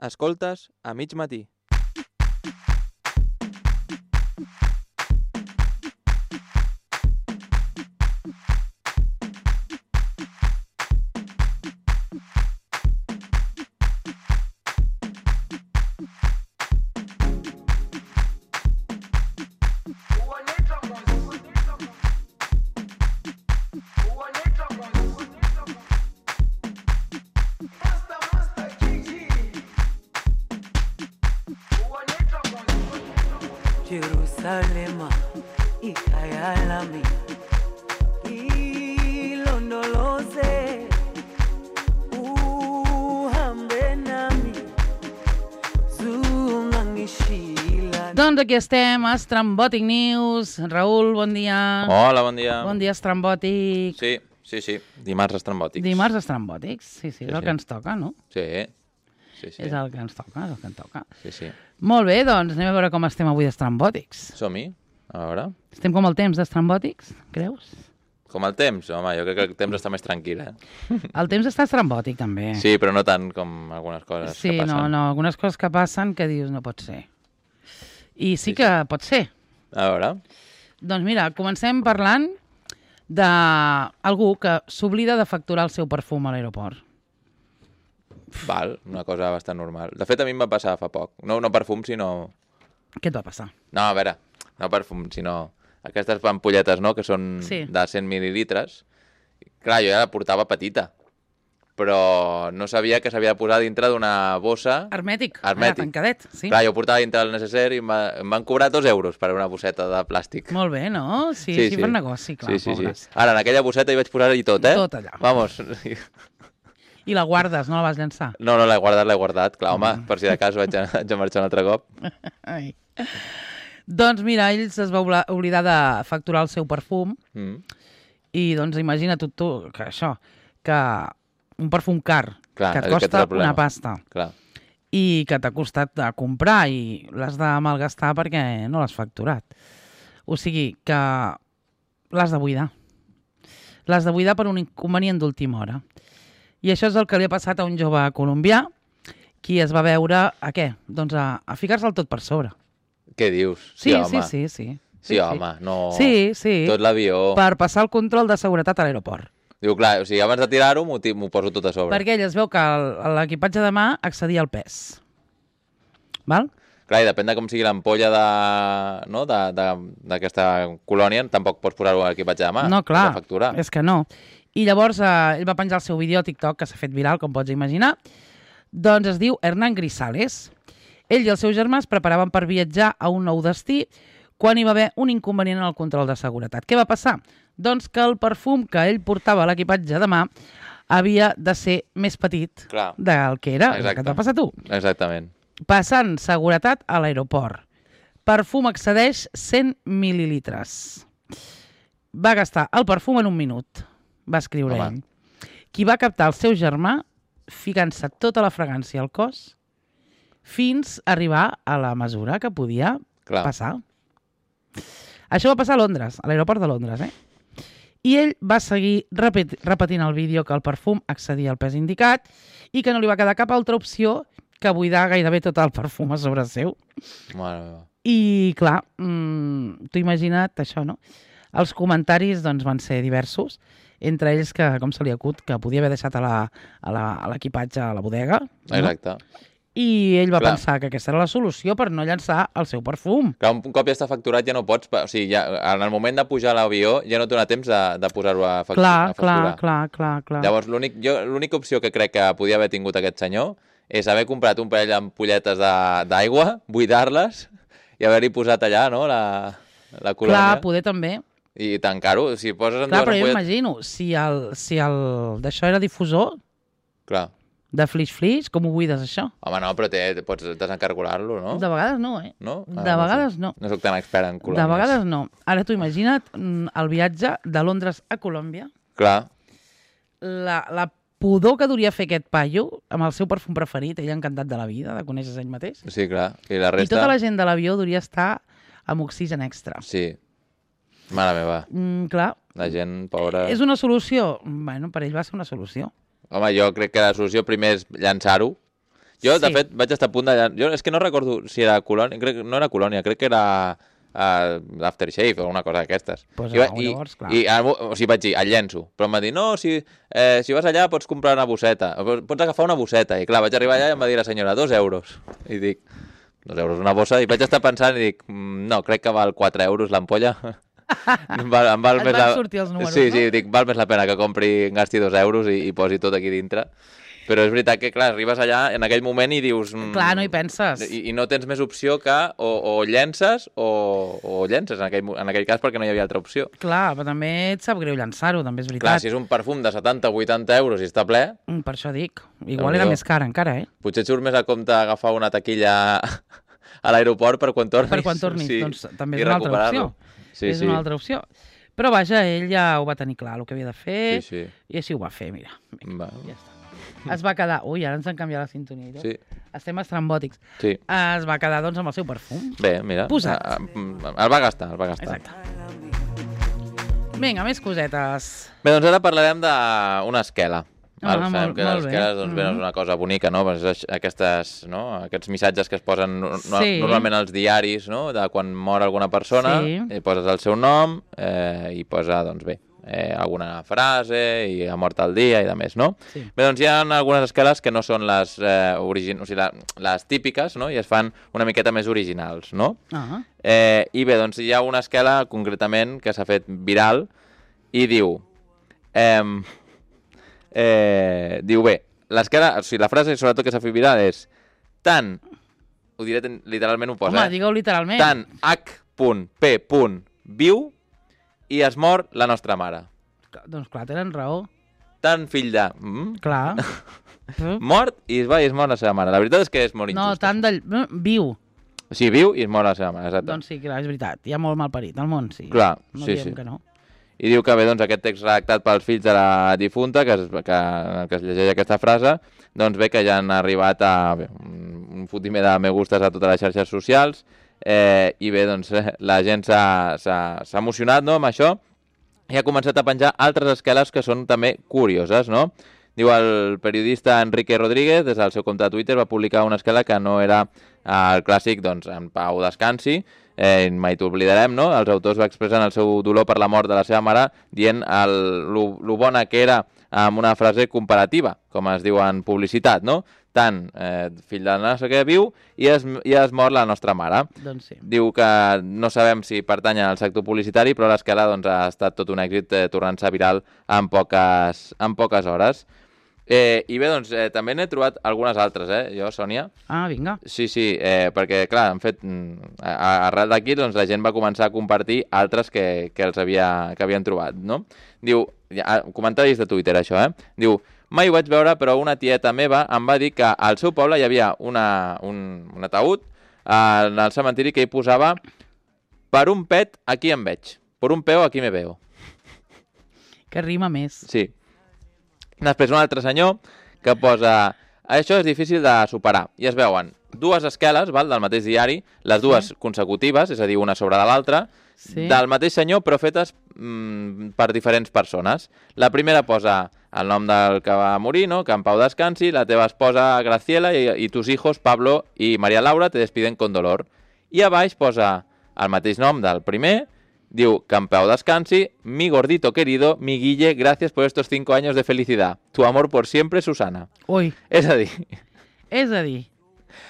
Escoltes a mig matí. Jerusalema ikhaya lami ilondoloze uhambe nami zungangishila. Doncs aquí estem, a Estrambòtic News. Raül, bon dia. Hola, bon dia. Bon dia, Estrambòtic. Sí. Dimarts estrambòtics. Dimarts estrambòtics. Sí, és el sí. que ens toca, no? Sí. És el que ens toca, Sí. Molt bé, doncs anem a veure com estem avui d'estrambòtics. Som-hi, a veure. Estem com el temps d'estrambòtics, creus? Com el temps? Home, jo crec que el temps està més tranquil, El temps està estrambòtic, també. Sí, però no tant com algunes coses que passen. Sí, no, algunes coses que passen que dius no pot ser. I sí que pot ser. A veure. Doncs mira, comencem parlant d'algú que s'oblida de facturar el seu perfum a l'aeroport. Val, una cosa bastant normal. De fet, a mi em va passar fa poc. No perfum, sinó... Què et va passar? No, a veure, no perfum, sinó aquestes ampolletes, no?, que són de 100 mil·lilitres. Clar, jo ja la portava petita, però no sabia que s'havia de posar dintre d'una bossa... Hermètic. Tancadet, sí. Clar, jo ho portava dintre del necessari i em van cobrar 2 euros per una bosseta de plàstic. Molt bé, no? Sí, per negoci, clar, pobres. Sí. Ara, en aquella bosseta hi vaig posar-hi tot, eh? Tot allà. Vamos. I la guardes, no la vas llançar? No, l'he guardat. Clar, home, per si de cas vaig a marxar un altre cop. Ai. Doncs mira, ell es va oblidar de facturar el seu perfum i doncs imagina't tu que això, que un perfum car, que et costa una pasta i que t'ha costat de comprar i l'has de malgastar perquè no l'has facturat. O sigui que l'has de buidar. L'has de buidar per un inconvenient d'última hora. I això és el que li ha passat a un jove colombià qui es va veure a què? Doncs a ficar-se'l tot per sobre. Què dius? Sí, home. Sí, home, no... Sí. Tot l'avió... Per passar el control de seguretat a l'aeroport. Diu, clar, o sigui, abans de tirar-ho m'ho poso tot a sobre. Perquè ell es veu que l'equipatge de mà excedia el pes. Val? Clar, i depèn de com sigui l'ampolla d'aquesta colònia, tampoc pots posar-ho a l'equipatge de mà. No, clar, facturar. És que no. I llavors ell va penjar el seu vídeo a TikTok, que s'ha fet viral, com pots imaginar. Doncs es diu Hernán Grisales. Ell i el seu germà es preparaven per viatjar a un nou destí quan hi va haver un inconvenient en el control de seguretat. Què va passar? Doncs que el perfum que ell portava a l'equipatge de mà havia de ser més petit del que era. Exacte. Que et va passar a tu. Exactament. Passant seguretat a l'aeroport. Perfum excedeix 100 mil·lilitres. Va gastar el perfum en un minut. Va escriure ell. Qui va captar el seu germà ficant-se tota la fragància al cos fins a arribar a la mesura que podia passar. Això va passar a Londres, a l'aeroport de Londres, I ell va seguir repetint el vídeo que el perfum excedia el pes indicat i que no li va quedar cap altra opció que buidar gairebé tot el perfum a sobre seu. Mare meva. I, clar, t'ho imagina't això, no? Els comentaris doncs, van ser diversos, entre ells que, com se li acut, que podia haver deixat a l'equipatge a la bodega. Exacte. I ell va pensar que aquesta era la solució per no llançar el seu perfum. Clar, un cop ja està facturat ja no pots... O sigui, ja, en el moment de pujar a l'avió ja no et dona temps de posar-ho a facturar. Clar. Llavors, l'única opció que crec que podia haver tingut aquest senyor és haver comprat un parell d'ampolletes d'aigua, buidar-les i haver-hi posat allà, no?, la colònia. Clar, poder també. I tancar-ho. Si poses en clar, però jo imagino, si el d'això era difusor, de flix, com ho buides, això? Home, no, però pots desencargolar-lo, no? De vegades no, No? De vegades no. No soc tan expert en colònies. De vegades no. Ara t'ho imagina't el viatge de Londres a Colòmbia. Clar. La pudor que duria fer aquest paio amb el seu perfum preferit, ell encantat de la vida, de conèixer ell mateix. Sí, clar. I la resta... I tota la gent de l'avió duria estar amb oxigen extra. Sí. Mare meva. Clar. La gent, pobra... És una solució? Bueno, per ell va ser una solució. Home, jo crec que la solució primer és llançar-ho Jo, de fet, vaig estar a punt de... Jo és que no recordo si era Colònia, no era Colònia, crec que era l'Aftershave o una cosa d'aquestes. Pues llavors, clar. O sigui, vaig dir, el llenço. Però em va dir, no, si vas allà pots comprar una bosseta, pots agafar una bosseta. I clar, vaig arribar allà i em va dir la senyora, 2 euros. I dic, 2 euros una bossa? I vaig estar pensant i dic, no, crec que val 4 euros l'ampolla. Em val Et més van sortir els números, sí, no? Sí, dic, val més la pena que compri, gasti 2 euros i posi tot aquí dintre. Però és veritat que, clar, arribes allà en aquell moment i dius... Clar, no hi penses. I no tens més opció que o llences o llences, en aquell cas, perquè no hi havia altra opció. Clar, però també et sap greu llançar-ho, també és veritat. Clar, si és un perfum de 70 o 80 euros i està ple... Per això dic. Igual era més car encara, eh? Potser et surt més a compte agafar una taquilla a l'aeroport per quan tornis. Per quan tornis, sí, doncs també és una altra opció. Sí, és una altra opció. Però vaja, ell ja ho va tenir clar, el que havia de fer, i així ho va fer, mira. Ja està. Es va quedar... Ui, ara ens han canviat la sintonia. Sí. Estem estrambòtics. Sí. Es va quedar, doncs, amb el seu perfum. Bé, mira. Posat. El va gastar. Exacte. Vinga, més cosetes. Bé, doncs ara parlarem d'una esquela. Sabem que les esqueles doncs, és una cosa bonica, no? Aquests missatges que es posen normalment als diaris, no? De quan mor alguna persona, poses el seu nom i posa, doncs bé, alguna frase i ha mort el dia i de més, no? Sí. Bé, doncs hi ha algunes esqueles que no són les les típiques, no? I es fan una miqueta més originals, no? I bé, doncs hi ha una esquela concretament que s'ha fet viral i diu... diu bé, l'esquela, o sigui, la frase sobretot que s'ha fet viral és tant, ho diré literalment, ho posa, home, digueu literalment, tant H.P. viu i es mor la nostra mare. Doncs clar, tenen raó. Tant fill de... Clar. Mort i es mor la seva mare. La veritat és que és molt injust. No, tant de... Viu. O sigui, viu i es mor la seva mare, exacte. Doncs sí, clar, és veritat. Hi ha molt malparit al món, sí. Clar, no sí, diem que no. I diu que bé, doncs, aquest text redactat pels fills de la difunta, que es llegeix aquesta frase, doncs bé, que ja han arribat a un fotimer de me gustes a totes les xarxes socials, i bé, doncs, la gent s'ha emocionat, no?, amb això, i ha començat a penjar altres esqueles que són també curioses, no? Diu, el periodista Enrique Rodríguez, des del seu compte de Twitter, va publicar una esquela que no era el clàssic, doncs, en pau descansi, mai t'oblidarem, no? Els autors expressen el seu dolor per la mort de la seva mare dient lo bona que era amb una frase comparativa, com es diu en publicitat, no? Tant fill de no sé què viu i es mor la nostra mare. Doncs sí. Diu que no sabem si pertany al sector publicitari, però l'esquela doncs, ha estat tot un èxit tornant-se viral en poques hores. I bé, doncs, també n'he trobat algunes altres, jo, Sònia. Ah, vinga. Sí, perquè, clar, han fet... Arrel d'aquí, doncs, la gent va començar a compartir altres que havien trobat, no? Diu, comentaris de Twitter, això, Diu, mai ho vaig veure, però una tieta meva em va dir que al seu poble hi havia un ataúd en el cementiri que hi posava per un pet aquí em veig, per un peo aquí me veo. Que rima més. Sí. Després un altre senyor que posa... Això és difícil de superar. I es veuen dues esqueles, del mateix diari, les dues consecutives, és a dir, una sobre de l'altra, del mateix senyor, però fetes per diferents persones. La primera posa el nom del que va morir, no? Que en pau descansi, la teva esposa Graciela i tus hijos Pablo i María Laura te despiden con dolor. I a baix posa el mateix nom del primer. Diu, que en pau descansi, mi gordito querido, mi Guille, gracias por estos 5 años de felicidad. Tu amor por siempre, Susana. Ui. És a dir...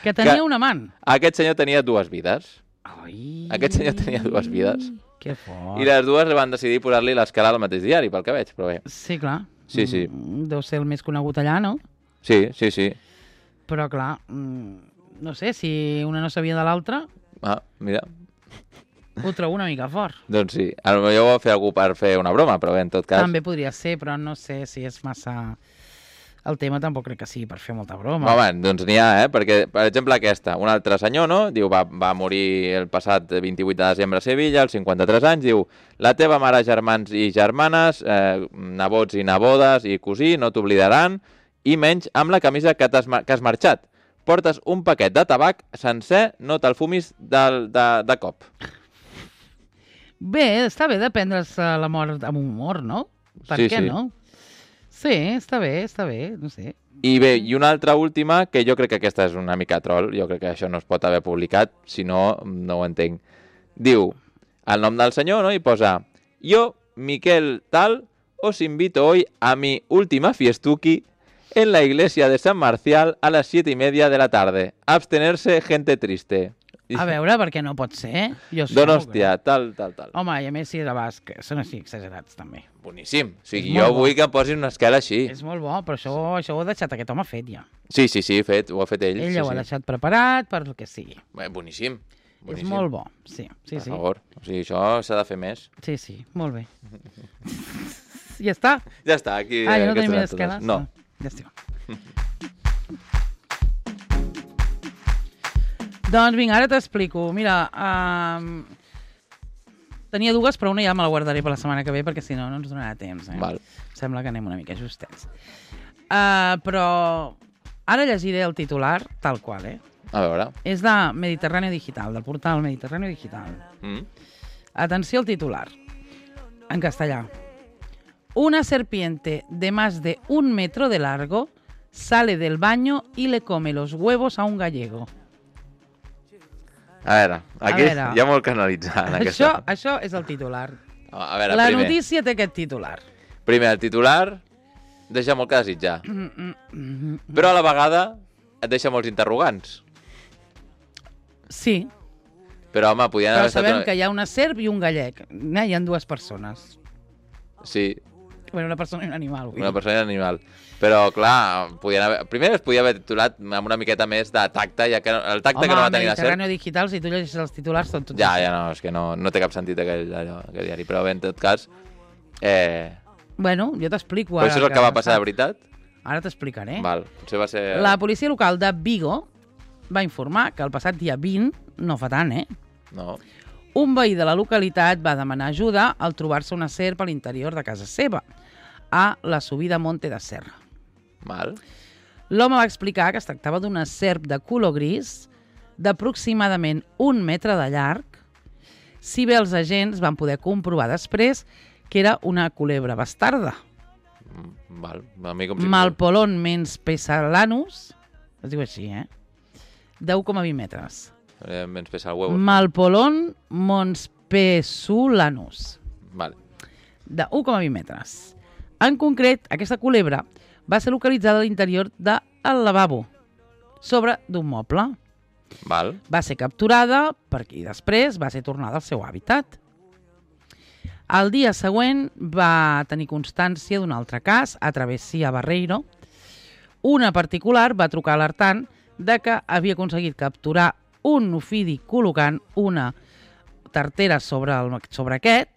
que tenia un amant. Aquest senyor tenia 2 vides. Ai. Aquest senyor tenia 2 vides. Que fort. I les dues van decidir posar-li l'escala al mateix diari, pel que veig, però bé. Sí, clar. Sí. Deu ser el més conegut allà, no? Sí. Però, clar, no sé, si una no sabia de l'altra... Ah, mira... Ho trobo una mica fort. Doncs sí. Potser ho va fer algú per fer una broma, però bé, en tot cas... També podria ser, però no sé si és massa... El tema tampoc crec que sigui per fer molta broma. Home, doncs n'hi ha, perquè, per exemple, aquesta, un altre senyor, no? Diu, va morir el passat 28 de desembre a Sevilla, als 53 anys, diu, la teva mare, germans i germanes, nebots i nebodes i cosí, no t'oblidaran, i menys amb la camisa que has marxat. Portes un paquet de tabac sencer, no te'l fumis de cop. Bé, està bé de prendre's la mort amb humor, no? Per què no? Sí, està bé, no sé. I bé, i una altra última, que jo crec que aquesta és una mica troll, jo crec que això no es pot haver publicat, si no, no ho entenc. Diu, el nom del senyor, ¿no? I posa, yo, Miquel Tal, os invito hoy a mi última fiestuki en la iglesia de San Marcial a las 7:30 de la tarde. Abstenerse, gente triste. A veure, perquè no pot ser. Donòstia, tal. Home, i a més si de basc, són així exagerats també. Boníssim. O sigui, jo vull que em posin una esquela així. És molt bo, però això ho ha deixat aquest home fet ja. Sí, fet, ho ha fet ell. Ell ho ha deixat preparat per el que sigui. Bé, boníssim. És molt bo, sí. Per favor, o sigui, això s'ha de fer més. Sí, molt bé. Ja està? Ja està, aquí... Ah, ja no tenim més esqueles? No. Ja estic. Doncs vinga, ara t'explico. Mira, tenia dues, però una ja me la guardaré per la setmana que ve, perquè si no, no ens donarà temps. Val. Sembla que anem una mica justets. Però ara llegiré el titular tal qual, A veure. És de Mediterráneo Digital, del portal Mediterráneo Digital. Atenció al titular, en castellà. Una serpiente de más de 1 metro de largo sale del baño y le come los huevos a un gallego. A veure, aquí hi ha molt que analitzar. Això és el titular. A veure, la notícia té aquest titular. Primer, el titular deixa molt que desitjar. Però a la vegada et deixa molts interrogants. Sí. Però, home, podien haver estat... Però sabem que hi ha una serp i un gallec. Hi ha 2 persones. Sí. Bueno, una persona i un animal. Una persona i un animal. Però, clar, primer es podia haver titulat amb una miqueta més de tacte, ja que el tacte que no va tenir la serp... Home, Mediterráneo Digital, si tu llegeixes els titulars, són tots... Ja, no, és que no té cap sentit aquell diari. Però bé, en tot cas... Bueno, jo t'explico ara. Però això és el que va passar de veritat? Ara t'explicaré. Val, potser va ser... La policia local de Vigo va informar que el passat dia 20, no fa tant, No. Un veí de la localitat va demanar ajuda al trobar-se una serp a l'interior de casa seva, a la subida Monte de Serra. Val. L'home va explicar que es tractava d'una serp de color gris d'aproximadament 1 metre de llarg, si bé els agents van poder comprovar després que era una culebra bastarda. Val. A mi com si... Malpolon menspesalanus, es diu així, de 1,20 metres. Menspesar huevos. Malpolon monspesulanus. Vale. De 1,20 metres. En concret, aquesta culebra va ser localitzada a l'interior del lavabo, sobre d'un moble. Val. Va ser capturada i després va ser tornada al seu hàbitat. El dia següent va tenir constància d'un altre cas a Travessia Barreiro. Una particular va trucar alertant de que havia aconseguit capturar un ofidi col·locant una tartera sobre aquest,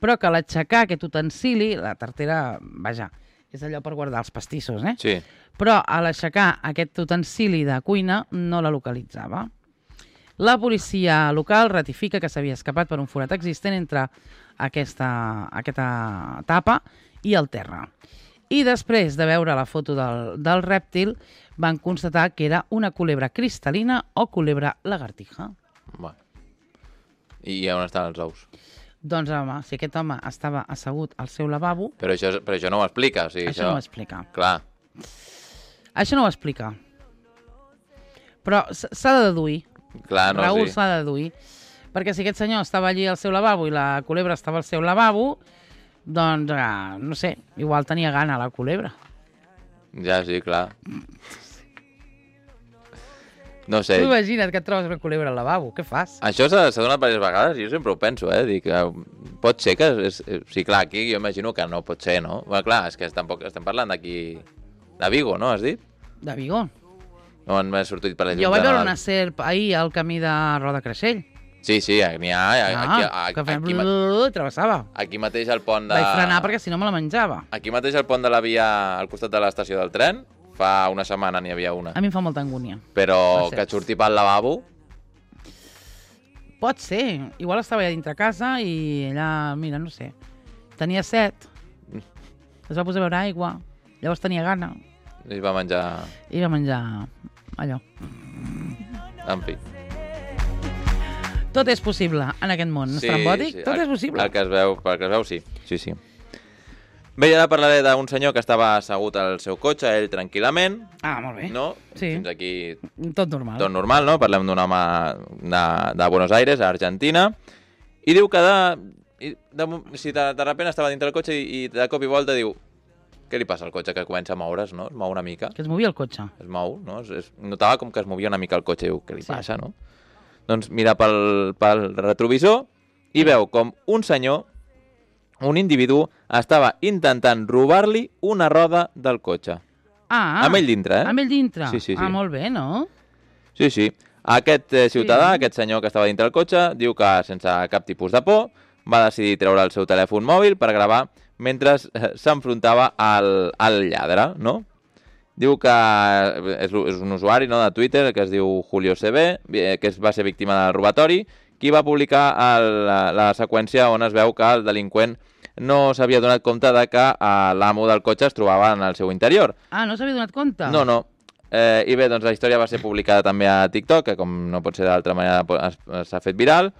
però que a l'aixecar aquest utensili, la tartera, vaja, és allò per guardar els pastissos, Sí. Però a l'aixecar aquest utensili de cuina no la localitzava. La policia local ratifica que s'havia escapat per un forat existent entre aquesta tapa i el terra. I després de veure la foto del rèptil, van constatar que era una culebra cristal·lina o culebra lagartija. Bueno. I on estaven els ous? Doncs, home, si aquest home estava assegut al seu lavabo... Però això no ho explica. O sigui, això no ho explica. Clar. Això no ho explica. Però s'ha de deduir. Clar, no, Raül s'ha de deduir. Perquè si aquest senyor estava allí al seu lavabo i la culebra estava al seu lavabo, doncs, no sé, igual tenia gana la culebra. Ja, sí, clar. No sé. Tu imagina't que et trobes una culebra al lavabo, què fas? Això s'ha donat diverses vegades, jo sempre ho penso, Dic, pot ser que... Sí, clar, aquí jo imagino que no pot ser, no? Bueno, clar, és que tampoc estem parlant d'aquí... De Vigo, no, has dit? De Vigo. No m'ha sortit per la llum. Jo vaig veure una serp ahir al camí de Roda Creixell. Sí, n'hi ha... Que feia... Travessava. Aquí mateix al pont de... Vaig frenar perquè si no me la menjava. Aquí mateix al pont de la via, al costat de l'estació del tren, fa una setmana n'hi havia una. A mi em fa molta angúnia. Però que et surti pel lavabo... Pot ser. Igual estava allà dintre casa i allà, mira, no sé, tenia set. Es va posar a beure aigua. Llavors tenia gana. I va menjar... I va menjar allò. En fi. Tot és possible en aquest món estrambòtic. Sí. Tot és possible. Pel que es veu, sí. Sí. Bé, ara parlaré d'un senyor que estava assegut al seu cotxe, ell tranquil·lament. Ah, molt bé. No? Sí. Fins aquí Tot normal. tot normal, no? Parlem d'un home de Buenos Aires, a Argentina, i diu que si de repente estava dintre del cotxe i de cop i volta diu què li passa al cotxe, que comença a moure's, no? Es mou una mica. Que es movia el cotxe. Es mou, no? Notava com que es movia una mica el cotxe i diu, què li passa, no? Doncs mira pel retrovisor i veu com un senyor, un individu, estava intentant robar-li una roda del cotxe. Ah, Amb ell dintre, amb ell dintre. Sí. Ah, molt bé, no? Sí. Aquest ciutadà, aquest senyor que estava dintre del cotxe, diu que sense cap tipus de por va decidir treure el seu telèfon mòbil per gravar mentre s'enfrontava al lladre, no? Diu que és un usuari, no, de Twitter que es diu Julio CB, que va ser víctima del robatori, qui va publicar la seqüència on es veu que el delinqüent no s'havia donat compte de que l'amo del cotxe es trobava en el seu interior. Ah, no s'havia donat compte? No. I bé, doncs la història va ser publicada també a TikTok, que com no pot ser d'altra manera s'ha fet viral.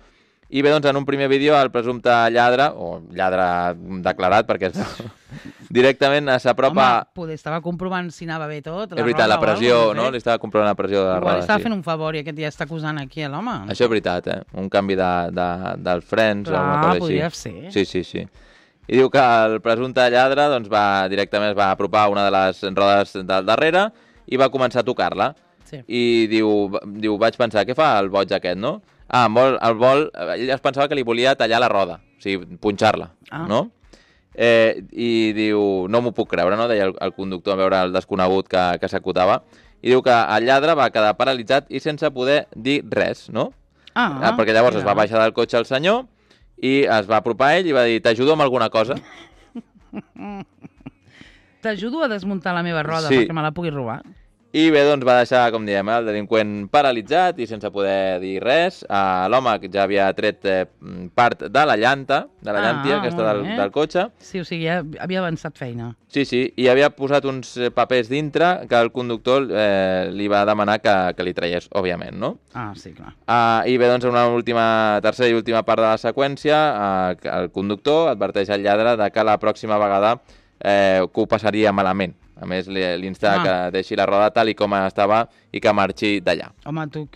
I bé, doncs en un primer vídeo el presumpte lladre, o lladre declarat, perquè directament s'apropa... Home, poder estava comprovant si anava bé tot. És veritat, la pressió, no? Li estava comprovant la pressió de la roda. Igual li estava fent un favor i aquest ja està acusant aquí a l'home. Això és veritat, un canvi dels frens o alguna cosa així. Podria ser. Sí. I diu que el presumpte lladre doncs, directament es va apropar a una de les rodes del darrere i va començar a tocar-la. Sí. I diu, vaig pensar, què fa el boig aquest, no? Ell es pensava que li volia tallar la roda, o sigui, punxar-la, no? I diu, no m'ho puc creure, no? Deia el conductor a veure el desconegut que s'acotava. I diu que el lladre va quedar paralitzat i sense poder dir res, no? Perquè llavors es va baixar del cotxe el senyor i es va apropar a ell i va dir, t'ajudo amb alguna cosa? T'ajudo a desmuntar la meva roda perquè me la pugui robar? I bé, doncs va deixar, com diem, el delinqüent paralitzat i sense poder dir res. L'home ja havia tret part de la llanta, de la llàntia aquesta del cotxe. Sí, o sigui, ja havia avançat feina. Sí, i havia posat uns papers dintre que el conductor li va demanar que li traiés, òbviament, no? Sí, clar. I bé, doncs, en una tercera i última part de la seqüència, el conductor adverteix al lladre de que la pròxima vegada que ho passaria malament. A més, l'insta que deixi la roda tal i com estava i que marxi d'allà. Home, tu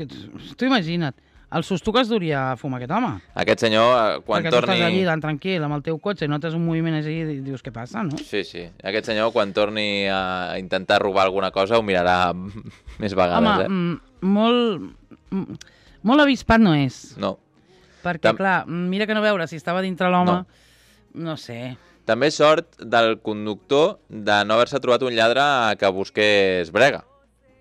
imagina't, el susto que es duria a fumar aquest home. Aquest senyor, quan perquè torni... Perquè tu estàs allí tan tranquil amb el teu cotxe i notes un moviment així i dius què passa, no? Sí. Aquest senyor, quan torni a intentar robar alguna cosa, ho mirarà més vegades, molt avispat no és. No. Perquè, clar, mira que no veure si estava dintre l'home, no sé... També sort del conductor de no haver-se trobat un lladre que busqués brega.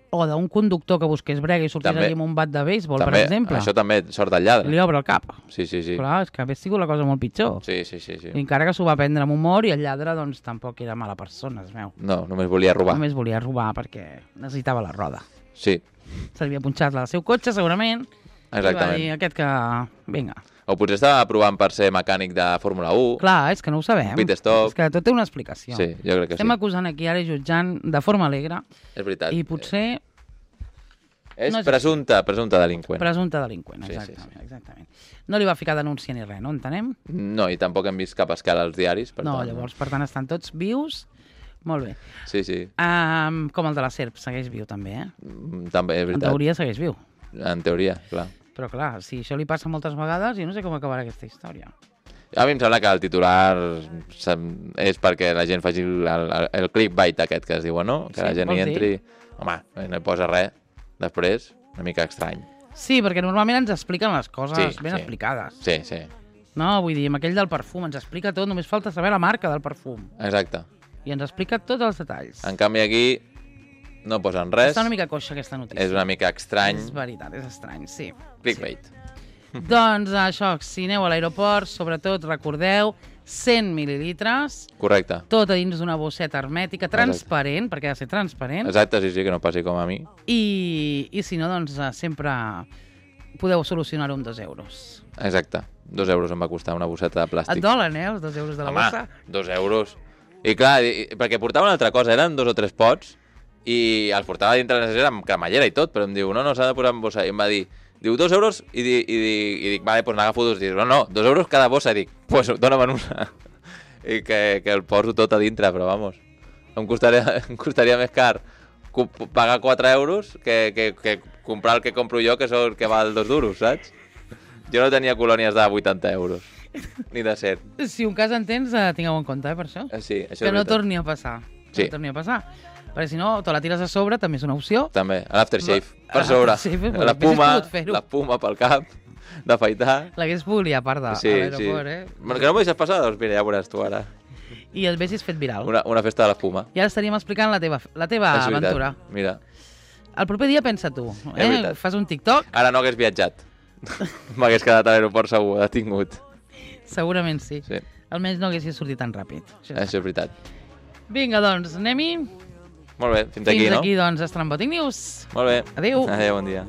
O d'un conductor que busqués brega i sortís allí amb un bat de béisbol, per exemple. Això també sort del lladre. Li obre el cap. Sí. Clar, és que hauria sigut la cosa molt pitjor. Sí. I encara que s'ho va prendre amb humor i el lladre, doncs, tampoc era mala persona, es veu. No, només volia robar. Només volia robar perquè necessitava la roda. Sí. S'havia punxat al seu cotxe, segurament. Exactament. I va dir aquest que... Vinga. O potser estava provant per ser mecànic de Fórmula 1. Clar, és que no ho sabem. Pit stop. És que tot té una explicació. Sí, jo crec que Estem acusant aquí ara i jutjant de forma alegre. És veritat. I potser... És presumpte delinqüent. Presumpte delinqüent, exactament. No li va ficar denúncia ni res, no entenem? No, i tampoc hem vist cap escala als diaris. Llavors, per tant, estan tots vius. Molt bé. Sí. Com el de la serp, segueix viu també, També, és veritat. En teoria segueix viu. En teoria, clar. Però clar, si això li passa moltes vegades, jo no sé com acabarà aquesta història. A mi em sembla que el titular és perquè la gent faci el clickbait aquest que es diu, no? Que la gent hi entri... Home, no hi posa res. Després, una mica estrany. Sí, perquè normalment ens expliquen les coses ben explicades. Sí. No, vull dir, amb aquell del perfum ens explica tot, només falta saber la marca del perfum. Exacte. I ens explica tots els detalls. En canvi aquí no posen res. Està una mica coixa aquesta notícia. És una mica estrany. És veritat, és estrany, sí. Clickbait. Sí. Doncs això, si aneu a l'aeroport, sobretot recordeu 100 mil·lilitres. Correcte. Tot a dins d'una bosseta hermètica, transparent, perquè ha de ser transparent. Exacte, sí, que no passi com a mi. I si no, doncs sempre podeu solucionar-ho amb 2 euros. Exacte. 2 euros em va costar una bosseta de plàstic. Et dolen, els 2 euros de la bossa? 2 euros. I clar, perquè portava una altra cosa, eren 2 o 3 pots, i els portava dintre la necessària amb cremallera i tot, però em diu, no, s'ha de posar en bossa. I em va dir, 2 euros, i dic, vale, doncs n'agafo 2. Dic, no, 2 euros cada bossa. I dic, pues dóna'm una. i que el poso tot a dintre, però vamos, em costaria més car pagar 4 euros que comprar el que compro jo, que val 2 duros, saps? Jo no tenia colònies de 80 euros, ni de 100. Si un cas en tens, tingueu en compte, per això. Sí, això que no torni a passar. Sí. No torni a passar. Perquè si no, te la tires a sobre, també és una opció. També, l'aftershave, per sobre. La puma pel cap, d'afaitar. L'hagués pogut liar a part de l'aeroport, eh? Que no m'ho deixes passar? Doncs mira, ja veuràs tu ara. I el haguessis fet viral. Una festa de l'espuma. I ara estaríem explicant la teva aventura. Mira. El proper dia pensa tu, fas un TikTok. Ara no hagués viatjat. M'hagués quedat a l'aeroport segur, detingut. Segurament sí. Almenys no haguessis sortit tan ràpid. Això és veritat. Vinga, doncs, anem-hi. Molt bé, fins aquí, no? Fins aquí, doncs, Estrambòtic News. Molt bé. Adéu. Adéu, bon dia.